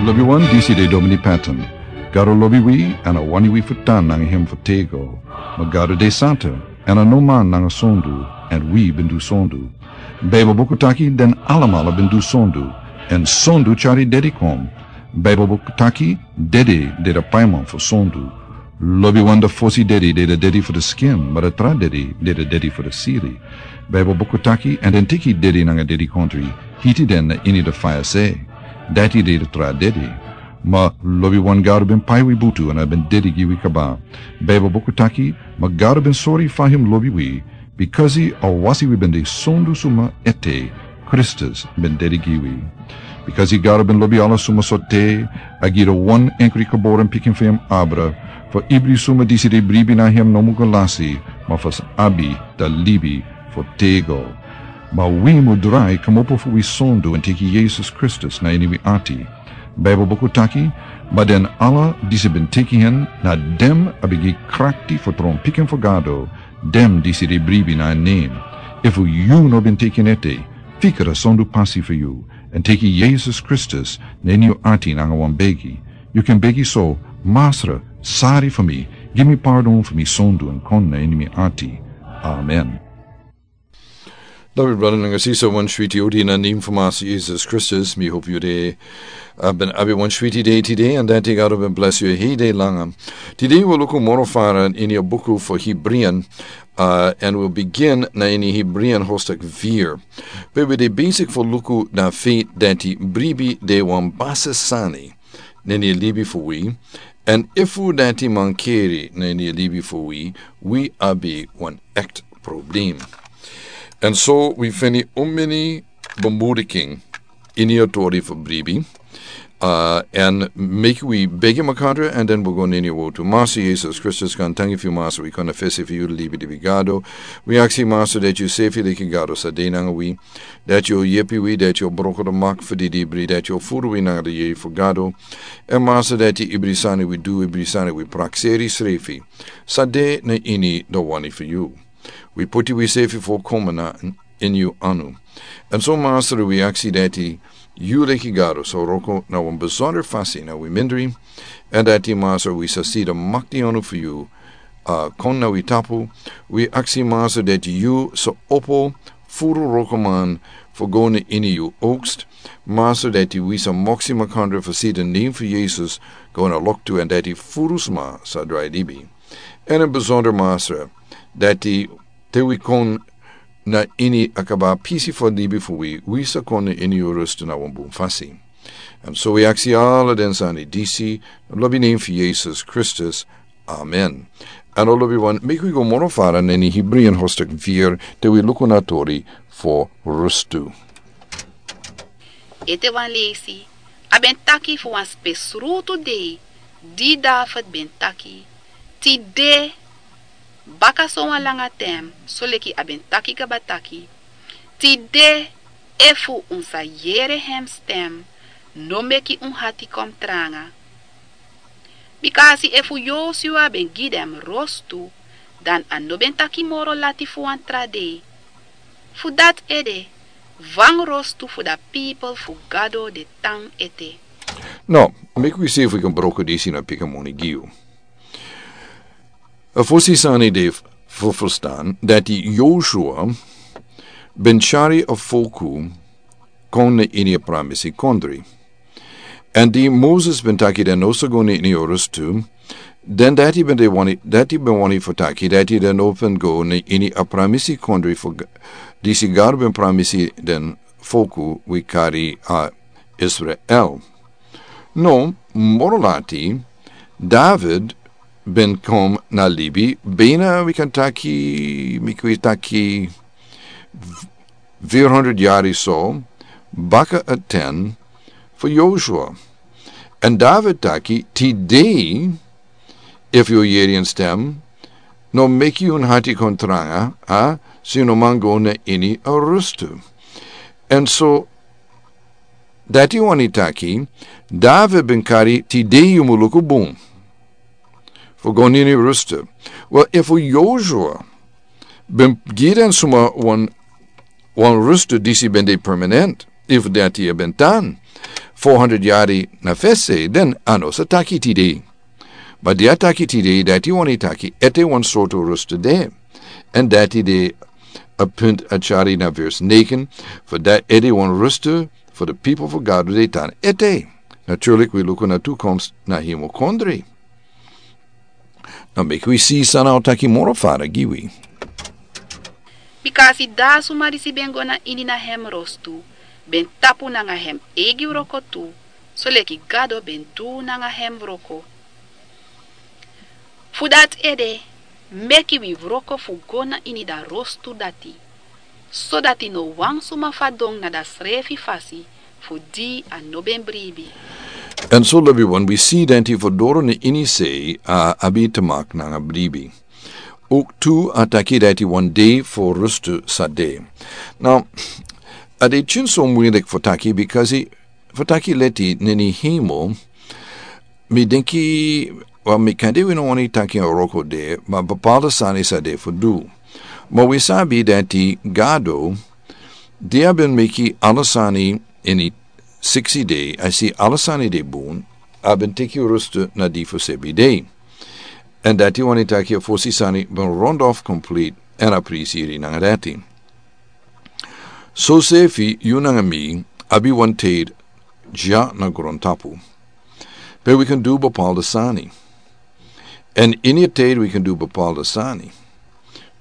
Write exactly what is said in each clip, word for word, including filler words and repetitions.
Lobi wan, disi de Domini Patton. Gado lobi wi, èn a wani wi fu tan nanga hem fu tego. Ma Gado de santa, èn a no man nanga sondu, èn wi ben du sondu. Baibel buku taki den alamala ben du sondu, èn sondu tyari dedi kon. Baibel buku taki dedi de de paiman fu sondu. Lobi wan, de fosi dedi de de dedi fu de skin, ma de tra dedi de de dedi fu de siri. Baibel buku taki, èn den teki dedi nanga dedi kontri, hiti den na ini de faya se. Dati de de tra dedi. Ma lobi wan, Gado ben pai wi butu èn a ben dedi gi wi kaba. Baibel buku taki, ma Gado ben sori fa hem lobi wi, bikasi a wasi wi ben de sondu suma ete, Kristus ben dedi gi wi. Bikasi Gado ben lobi ala suma sortu, a gi de wan enkri geboren pikin fu hem abra, fu ibri suma disi de bribi na hem no mu go lasi, ma fu sa abi de libi fu tego. Ma wi mu drai kmopo fu wi sondu èn teki Yesus Kristus na ini wi ati. Baibel buku taki, ma den ala disi ben teki hen, na den a ben gi krakti fu tron pikin fu Gado, den disi de bribi na en nen. Efu yu no ben teki en ete, fika a sondu pasi fu yu, èn teki Yesus Kristus na ini yu ati nanga wan begi. Yu kan begi so: Masra, sari fu mi, gi mi pardon fu mi sondu èn kon na ini mi ati. Amen. Lobi brada nanga sisa, wan switi odi na nen fu Masra Yesus Kristus. Mi hopu yu de, a ben abi wan switi dei tide, èn dati Gado ben blesi yu hei dei langa. Tide wi luku moro fara ini a buku fu Hebrian, a, èn wi bigin na ini Hebrian hostak fir. Pe wi de besik fu luku na feit dati bribi de wan basi sani na ini libi fu wi, èn efu dati mankeri na ini libi fu wi, wi abi wan ekti problem. Èn so wi feni un mini bemoediking ini a tori fu bribi. A, èn meki wi begi makandra, èn den wi go na ini a wortu. Masra Yesus Kristus, kan tangi fu yu, Masra, wi kon na fesi fu yu, libi di wi Gado. Wi aksi, Masra, dati yu sefi leki Gado sa de nanga wi, dati yu o yepi wi, dati yu o broko de mak fu di dibri, dati yu o furu wi nanga di yeye fu Gado. Èn Masra, dati ibri sani wi du, ibri sani wi prakseri srefi, sa de na ini de wani fu yu. Wi poti wi sefi folkomen na ini yu anu. Èn so, Masra, wi aksi dati yu leki Gado sa wroko na wan besonder fasi na wi mindri, èn dati, Masra, wi sa si de makti anu fu yu, a, kon na wi tapu. Wi aksi, Masra, dati yu sa opo furu wrokoman fu go na ini yu oogst. Masra, dati wi sa moksi makandra fu si de nen fu Yesus go na loktu, èn dati furu sma sa drai libi. Èn ini besonder, Masra, dati te wi kon na ini a kaba pisi fu libi fu wi, wi sa kon na ini yu rustu na wan bun fasi. Èn so wi aksi ala den sani disi na lobi nen fu Yesus Kristus. Amen. Èn o lobi wan, meki wi go moro fara na ini Hebrian hostak fir, te wi luku na tori fu rustu. Ete wan leisi, a ben taki fu wan spesrutu dei, di David ben taki: Tide, baka so wan langa ten, soleki a ben taki kaba taki: Tide, efu un sa yere hem stem, no meki un hati kon tranga. Bikasi efu Yosua ben gi den rostu, dan a no ben taki moro lati fu wan tra dei. Fu dati ede, wan rostu fu da pipel fu Gado de tan ete. No, meki wi si efu wi kan broko disi na pikin moni gi yu. A fosi sani de fu ferstan dati Yosua ben tyari a folku kon na ini a pramisi kondre. Èn di Moses ben taki den no sa go na ini a rustu, dan dati ben de wani, dati ben wani fu taki dati den no ben go na ini a pramisi kondre fu G-, disi Gado ben pramisi den folku wi kari a Israel. No, moro lati, David ben kon na libi, bina wi kan taki, meki wi taki, fir hundred yari so baka a ten fu Yosua. Èn David taki: Tide, efu yu yere en stem, no meki un hati kon tranga, a, si un no man go na ini a rustu. Èn so, dati wani taki, David ben kari tide yu mu luku bun fu go na ini rustu. Wel, efu Yosua ben gi den suma wan, wan rustu disi ben de permanent, efu dati a ben tan, fo hundred yari na fesi, den a no sa taki tide. Ma di a taki tide, dati wani taki ete wan sortu rustu de. Èn dati de a punt a tyari na vers negen, fu dati ede wan rustu fu di pipel fu Gado de tan ete. Naturlik wi luku na tukomst na hemel kondre. Now meki wi si san a o taki moro fara gi wi. Bika a si dati suma disi ben go na ini na hem rostu ben tapu nanga hem eigi wroko tu, soleki Gado ben du nanga hem wroko. Fu dati ede, meki wi wroko fu go na ini da rostu dati, sodati no wan suma fadon na dasrefi fasi fu di a no ben bribi. Èn so lobi wan wi si dati fu doro na ini sei a abi te maki nanga bribi. Ook tu a taki dati wan dei fu rustu sa de. Now a de tyin so muilik fu taki, bikasi fu taki leti na ini hemel, mi denki, wel, mi kande wi no wani taki a wroko de, ma bepaalde sani sa de fu du. Ma wi sabi dati Gado, di a ben meki ala sani ini siksi dei, a si ala sani de bun, a ben teki rustu na di fu sebi dei. Èn dati wani taki a fosi sani ben rond off complete, èn a prisi iri nanga dati. So sefi yu nanga mi abi wan tide dya na grontapu. Pe wi kan du bepaalde sani. Èn ini a tide wi kan du bepaalde sani.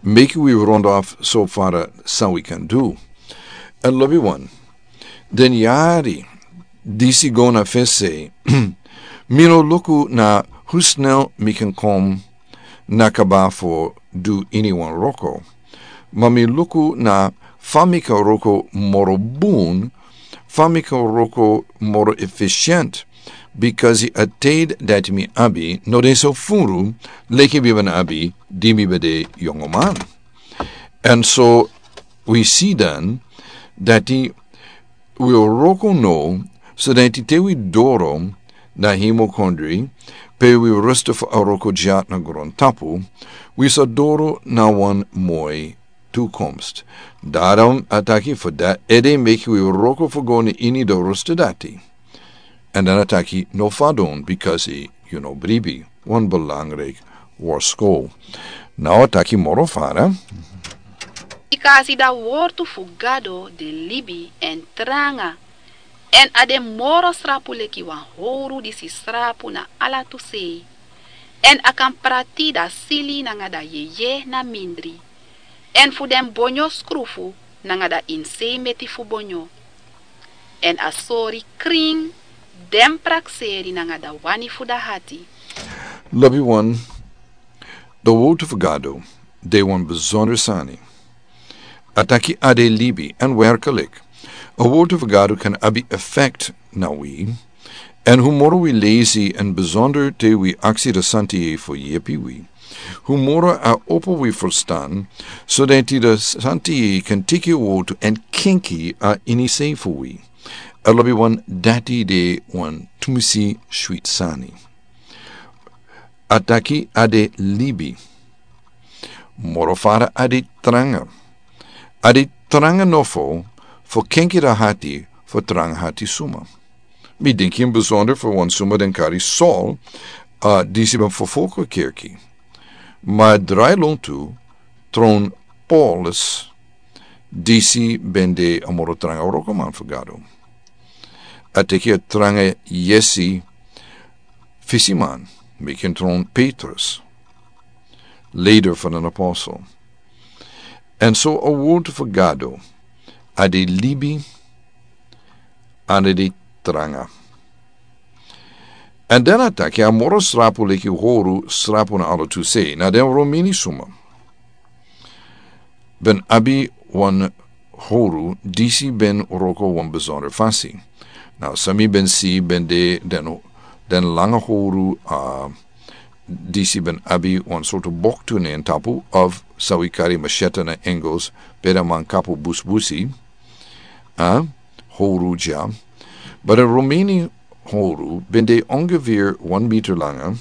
Meki wi rond off so fara san wi kan du. Èn lobi wan, den yari disi go na fesi, mi no luku na hu snel mi kan kom na kaba fu du ini wan wroko. Ma mi luku na fa mi kan wroko moro bun, fa mi kan wroko moro efisient, bikasi a tide dati mi abi no de so furu leki mi ben abi di mi ben de yongoman. Èn so wi si dan dati wi o wroko now, so dati te wi doro na hemel kondre, pe wi rustu fu a wroko dya na grontapu, wi sa doro na wan moi tukomst. Daarom a taki fu dati ede meki wi wroko fu go na ini di rustu dati. Èn dan a taki no fadon, bikasi yu no bribi. Wan belangrijk worsku. Now a taki moro fara. Bikasi da wortu fu Gado de libi èn tranga. Èn a de moro srapu leki wan howru disi srapu na ala tu sei. Èn a kan prati da sili nanga da yeye na mindri. Èn fu den bonyo skrufu nanga da insei meti fu bonyo. Èn a sori krin den prakseri nanga da wani fu da hati. Lobi wan, di wortu fu Gado de wan besonder sani. A taki a de libi, èn werkelik a wortu fu Gado kan abi effect na wi. Èn hu moro wi lesi, èn besonder te wi aksi di Santi Yeye fu yepi wi, hu moro a opo wi ferstan, so dati di Santi Yeye kan teki a wortu èn kenki a ini sei fu wi. A lobi wan, dati de wan tumisi switi sani. A taki a de libi. Moro fara a de tranga. A de tranga nofo fu kenki da hati fu tranga hati suma. Mi denki ini besonder fu wan suma den kari Saul, a disi ben ferfolgu kerki. Ma drai lontu tron Paulus, disi ben de a moro tranga wrokoman fu Gado. A teki a tranga yesi fisiman, meki en tron Petrus, leider fu den apostel. Èn so a wortu fu Gado a de libi, èn a de tranga. Èn dan a taki a moro srapu leki howru srapu na ala tu sei. Na den Romeni suma ben abi wan howru disi ben wroko wan besonder fasi. Now san mi ben si ben de den, den langa howru, a disi ben abi wan sortu boktu na en tapu, of san wi kari machete na Engels, pe den man kapu busbusi, a howru dya. Ma den Romeni howru ben de ongeveer wan meter langa.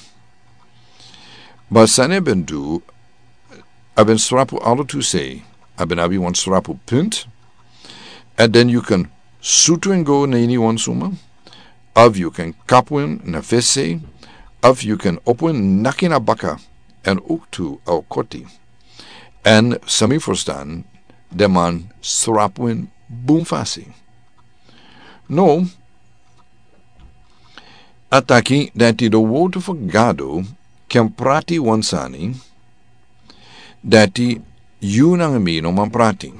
Ma san a ben du, a ben srapu ala tu sei, a ben abi wan srapu punt. Èn den yu kan sutu en go na ini wan suma, Of yu kan kapu en na fesi, of yu kan opo en naki na baka, èn owktu a o koti. Èn san mi ferstan, den man srapu en bun fasi. No, a taki dati den wortu fu Gado kan prati wan sani dati yu nanga mi no man prati.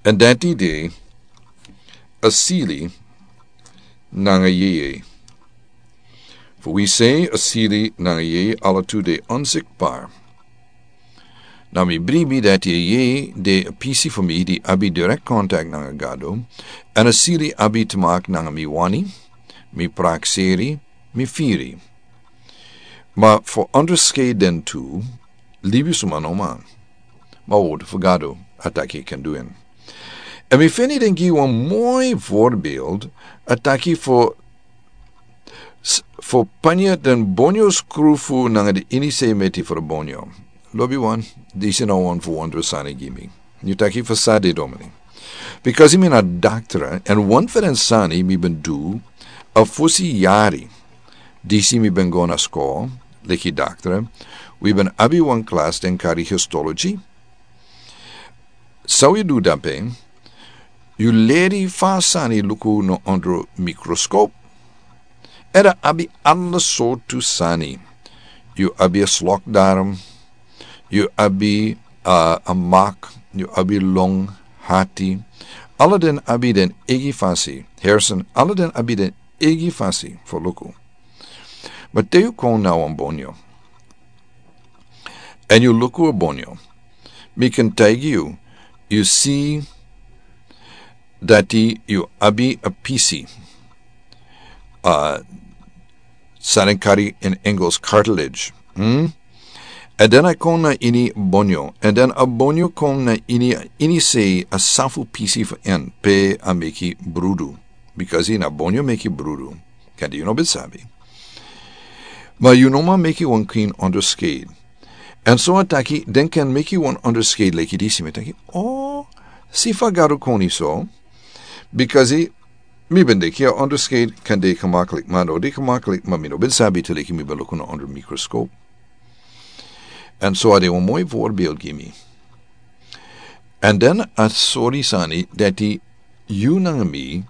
Èn dati de a sili nanga yeye. Fu wi sei a sili nanga yeye ala tu de onsikbar. Na mi bribi dati a yeye de a pisi fu mi di abi direct contact nanga Gado, èn a sili abi te maki nanga mi wani, mi prakseri, mi firi. Ma fu onderscheid den tu, libisuma no man. Ma wortu fu Gado a taki kan du en. Èn mi feni den gi wan moi voorbeeld, a taki fu s-, fu panya den bonyo skrufu nanga den ini sei meti fu den bonyo. Lobiwan, disi na wan fu wondro sani gi mi. Yu taki fu san de domini. Bikasi mi na daktra, èn wan fu den sani mi ben du, a fosi yari. Disi mi ben go na skol, leki daktra, wi ben abi wan klas den kari histology. San wi du dape, yu leri fa sani luku na ondro mikroskop. Èn a abi ala sortu sani. Yu abi a slokdarm, yu abi, ah, a mak, yu abi long, hati. Ala den abi den eigi fasi, hersen, ala den abi den eigi fasi fu luku. Ma te yu kon na wan bonyo. Èn yu luku a bonyo. Mi kan taigi yu, yu si dati yu abi a pisi. Ah, san den kari in Engels cartilage. Hmm? Èn den a kon na ini bonyo. Èn den a bonyo kon na ini, ini sei a san fu pisi fu en pe a meki brudu. Bikasi na bonyo meki brudu. Kande yu no ben sabi. Ma yu no man meki wan krin onderscheid. Èn so a taki, den kan meki wan onderscheid leki disi mi taki, oh, si fa Gado koni so. Bikasi mi ben de ki a onderscheid kan de gemaklik, ma no de gemaklik, ma mi no ben sabi te leki mi ben luku na onder mikroskop. Èn so a de wan moi voorbeeld gi mi. Èn den a sori sani dati yu nanga mi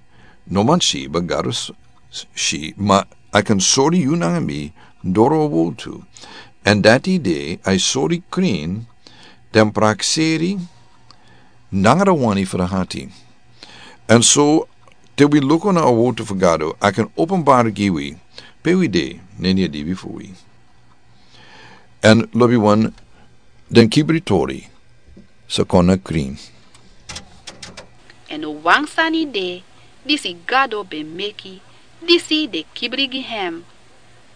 no man si, ma Gado s-, s-, si, ma a kan sori yu nanga mi doro a wortu. Èn dati de a sori krin den prakseri nanga den wani fu den hati. Èn so te wi luku na a wortu fu Gado, a kan openbari gi wi pe wi de na ini a libi fu wi. Èn lobiwan, den kibri tori sa kon na krin. Èn wan sani de, disi Gado ben meki, disi de kibri gi hem.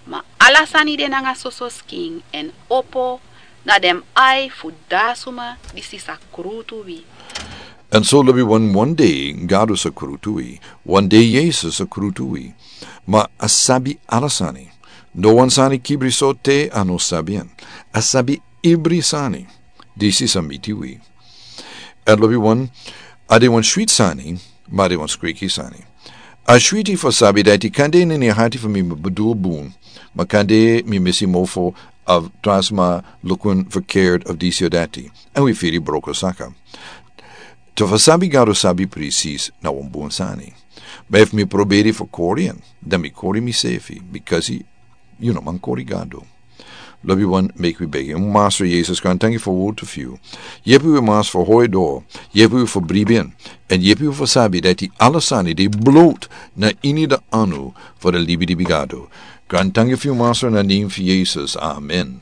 Ma ala sani de nanga soso skin èn opo na den ai fu dasuma disi sa krutu wi. Èn so lobiwan, wan dei Gado sa krutu wi, wan dei Yesus sa krutu wi. Ma a sabi ala sani. No wan sani kibri so te a no sabi en. A sabi ibri sani. Disi sa miti wi. Èn lobiwan, a de wan switi sani, ma a de wan skriki sani. A switi fu sabi dati kande na ini a hati fu mi mi bedul bun, ma kande mi misi mofo of trasma lukun verkeerd of disi of dati. Èn wi firi broko saka. Te fu sabi Gado sabi presis na wan bun sani. Ma efu mi proberi fu kori en, dan mi kori misefi, bikasi yu no man kori Gado. Lobiwan, meki wi begi. Masra Yesus, grantangi fu a wortu fu yu. Yepi wi, Masra, fu hori doro. Yepi wi fu bribi en. Èn yepi wi fu sabi dati ala sani de blot na ini den anu fu den libilibi Gado. Grantangi fu yu, Masra, na nen fu Yesus. Amen.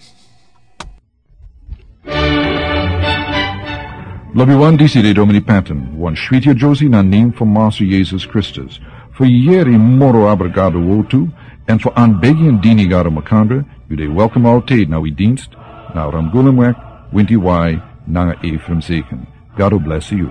Lobiwan, disi de Domini Patton, wan switi a Josie na nen fu Masra Yesus Kristus. Fu yeri moro abra Gado wortu, èn fu anbegi èn dini Gado makandra, yu de welkom altijd na wi dienst, na Ramgulemweg, winti wai, nanga Ephraim Zeken. Gado bless yu.